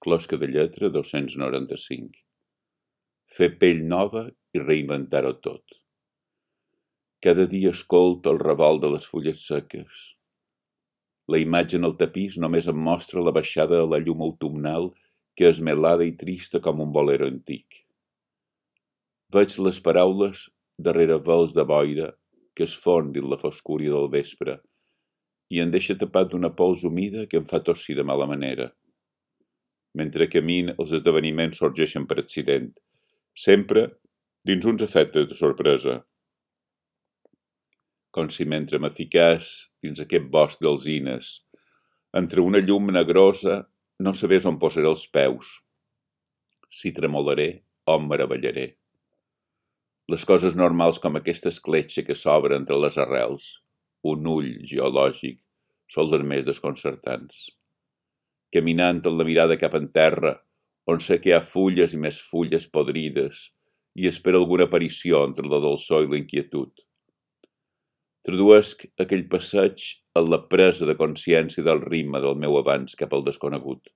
Closca de lletra 295. Fer pell nova i reinventar-ho tot. Cada dia escolto el revolt de les fulles seques. La imatge en el tapís només em mostra la baixada de la llum autumnal que és melada i trista com un bolero antic. Veig les paraules darrere vels de boira que es fon dins la foscúria del vespre i em deixa tapat d'una pols humida que em fa tossir de mala manera. Mentre camino, els esdeveniments sorgeixen per accident, sempre dins uns efectes de sorpresa. Com si mentre me ficàs dins aquest bosc d'alzines, entre una llum negrosa, no sabés on posaré els peus. Si tremolaré o em meravellaré. Les coses normals com aquesta escletxa que s'obre entre les arrels, un ull geològic, són les més desconcertants. Caminant amb la mirada cap en terra, on sé que hi ha fulles i més fulles podrides, i espero alguna aparició entre la dolçor i la inquietud. Traduesc aquell passeig en la presa de consciència del ritme del meu avanç cap al desconegut.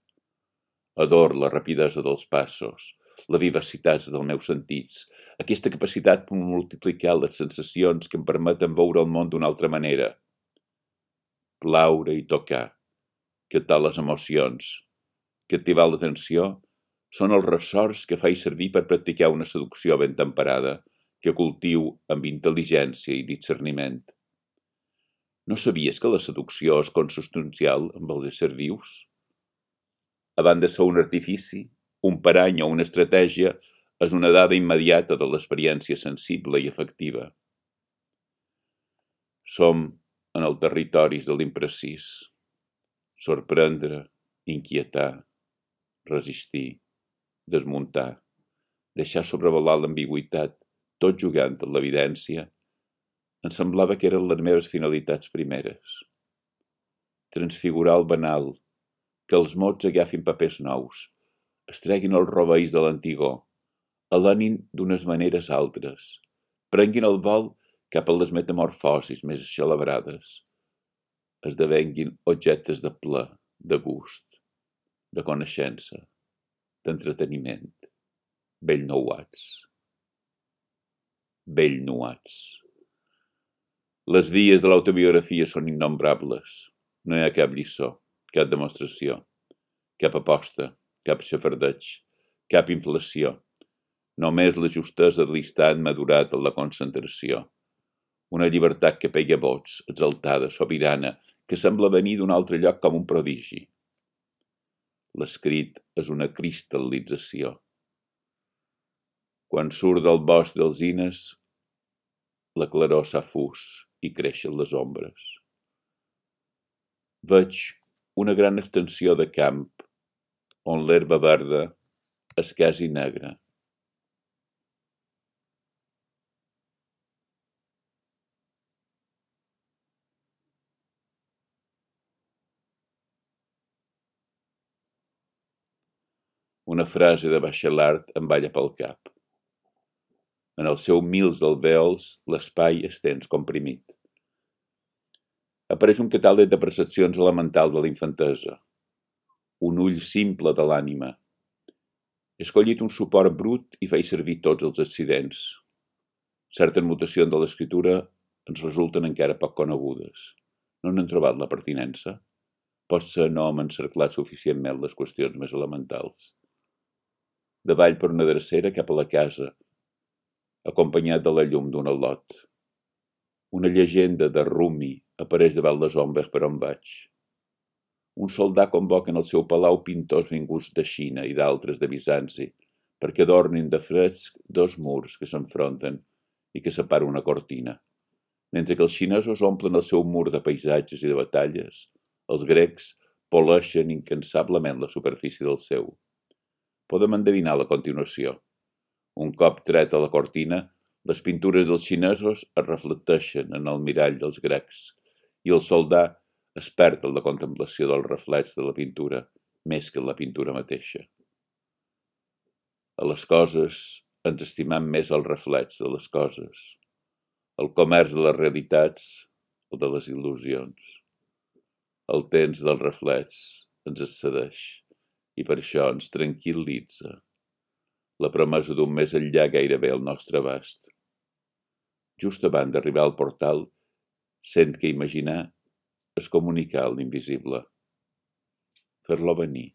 Ador la rapidesa dels passos, la vivacitat dels meus sentits, aquesta capacitat per multiplicar les sensacions que em permeten veure el món d'una altra manera. Plaure i tocar, captar les emocions, captivar l'atenció, són els ressorts que faig servir per practicar una seducció ben temperada, que cultiu amb intel·ligència i discerniment. No sabies que la seducció és consubstancial amb els éssers vius? Abans de ser un artifici, un parany o una estratègia, és una dada immediata de l'experiència sensible i afectiva. Som en el territori de l'imprecís. Sorprendre, inquietar, resistir, desmuntar, deixar sobrevolar l'ambigüitat, tot jugant amb l'evidència, em semblava que eren les meves finalitats primeres. Transfigurar el banal, que els mots agafin papers nous, es treguin els rovells de l'antigor, alenin d'unes maneres altres, prenguin el vol cap a les metamorfosis més celebrades, esdevenguin objectes de plaer, de gust, de coneixença, d'entreteniment, bellnouats. Les vies de l'autobiografia són innombrables. No hi ha cap lliçó, cap demostració, cap aposta, cap xafardeig, cap inflació. Només la justesa de l'instant madurat en la concentració. Una llibertat que pega vots, exaltada, sobirana, que sembla venir d'un altre lloc com un prodigi. L'escrit és una cristal·lització. Quan surt del bosc d'alzines, la claror s'ha fus i creixen les ombres. Veig una gran extensió de camp, on l'herba verda és quasi negra. Una frase de Bachelard em balla pel cap. En el seu mils d'alvèols, l'espai és tens comprimit. Apareix un catàleg de percepcions elementals de la infantesa. Un ull simple de l'ànima. He escollit un suport brut i faig servir tots els accidents. Certes mutacions de l'escriptura ens resulten encara poc conegudes. No n'hem trobat la pertinença. Potser no hem encerclat suficientment les qüestions més elementals. Davall per una drecera cap a la casa, acompanyat de la llum d'un al·lot. Una llegenda de Rumi apareix davant les ombres per on vaig. Un soldat convoca en el seu palau pintors vinguts de Xina i d'altres de Bizanci, perquè adornin de fresc dos murs que s'enfronten i que separa una cortina. Mentre que els xinesos omplen el seu mur de paisatges i de batalles, els grecs poleixen incansablement la superfície del seu. Podem endevinar la continuació. Un cop treta la cortina, les pintures dels xinesos es reflecteixen en el mirall dels grecs i el soldat es perd en la contemplació del reflex de la pintura més que en la pintura mateixa. A les coses ens estimam més el reflex de les coses, el comerç de les realitats o de les il·lusions. El temps del reflex ens excedeix i per això ens tranquil·litza la promesa d'un més enllà gairebé al nostre abast. Just abans d'arribar al portal, sent que imaginar és comunicar l'invisible, fer-lo venir.